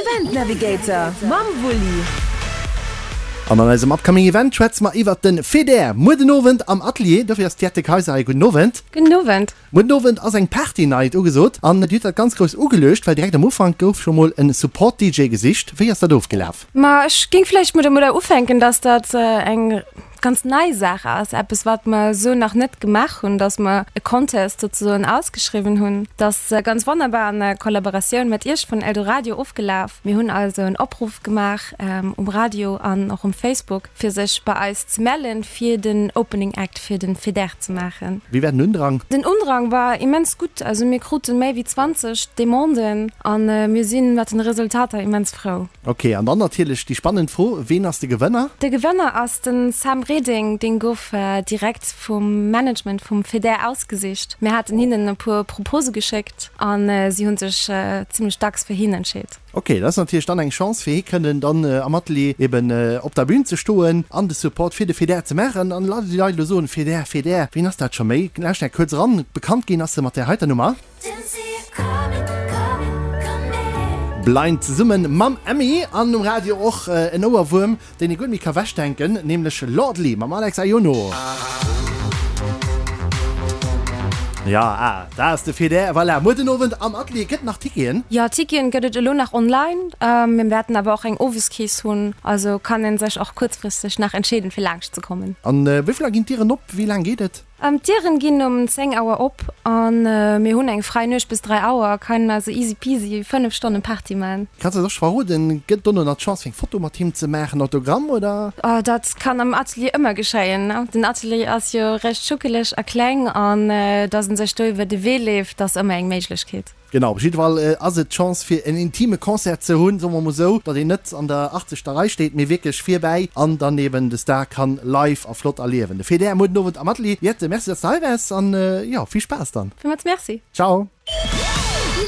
Event Navigator mam Wulli. An an eisem upcoming Event schwätze mer iwwert den Feder muer den Owend am Atelier. Dofir ass d'Jette Kayser hei. Gudden Owend. Gudden Owend. Muer den Owend ass eng Party Night ugesot an Dir hutt dat ganz grouss ugeluecht, well direkt am Ufank gouf scho mol en Support DJ gesicht. Wéi ass dat ofgelaf? Ma ech géing vläicht mol domadder ufänken, dass dat eng ganz nei Saach ass, eppes wat mer esou nach net gemaach hunn, dass mer e Contest souzesoen ausgeschriwwen hunn. Dat ass ganz wonnerbar an der Kollaboratioun mat Iech vun Eldoradio ofgelaf. Mir hunn also en Opruff gemaach um Radio an och um Facebook, fir sech bei eis ze mellen, fir den Opening Act fir den FEDER ze maachen. Wéi war den Undrang? Den Undrang war immens gutt, also mir kruten méi wéi 20 Demanden an mir sinn mat den Resultater immens frou. Ok, an dann natierlech déi spannend Fro, Ween ass de Gewënner? De Gewënner ass de Sam Reding, deen gouf direkt vum Management vum FEDER ausgesicht. Mir haten hinnen e puer Propose geschéckt an si hunn sech zimmlech dacks fir hien entscheet. Ok, dat ass natierlech dann eng Chance fir hie kënnen dann am Atelier eben op der Bühn ze stoen an de Support fir de Feder ze maachen. An la déi Leit elo soen, Feder, Feder, ween ass dat scho méi? Lauscht eng kuerz eran, bekannt ginn ass se mat där heiter Nummer. Blind zesummen mam Emmy an um Radio och en Ouerwuerm. Deen ee guer net méi ka wechdenken, nämlech Lordly mam Alex Aiono. Jo, ah, da ass de Feder. Voilà, muer den Owend am Atelier. Gëtt nach Ticketen? Jo, Ticketen gëtt et elo nach online. Mir wäerten awer och eng Oweskeess hunn, also kann ee sech och kuerzfristeg nach entscheeden, fir laanscht ze kommen. An wéi vill Auer ginn d'Dieren op? Wéi laang geet et? D'Dieren ginn um 10 Auer op an mir hunn eng fräi Nuecht bis 3 Auer, kennen also easy peasy 5 Stonnen Party man. Kanns eis och scho verroden, gëtt dono nach d'Chance fir eng Foto mat him ze maachen, Autogramm oder? Oh dat kann am Atelier ëmmer geschéien, den Atelier ass jo recht schuckeleg a kleng an dass en sech do iwwer de Wee leeft ass ëmmer eng Méiglechkeet. Genau, op jidde Fall ass et d'Chance fir en intime Concert ze hunn, soe mer mol esou, datt een net an der 80. Rei steet, mee wierklech virbäi an dann eben de Star kann live a flott erliewen. De Feder muer den Owend am Atelier. Jette, Merci, datt s de hei waars an jo, vill Spaass dann. Villmools Merci. Ciao.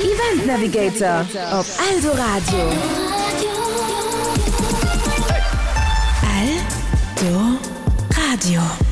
Event Navigator op Eldoradio. Eldoradio.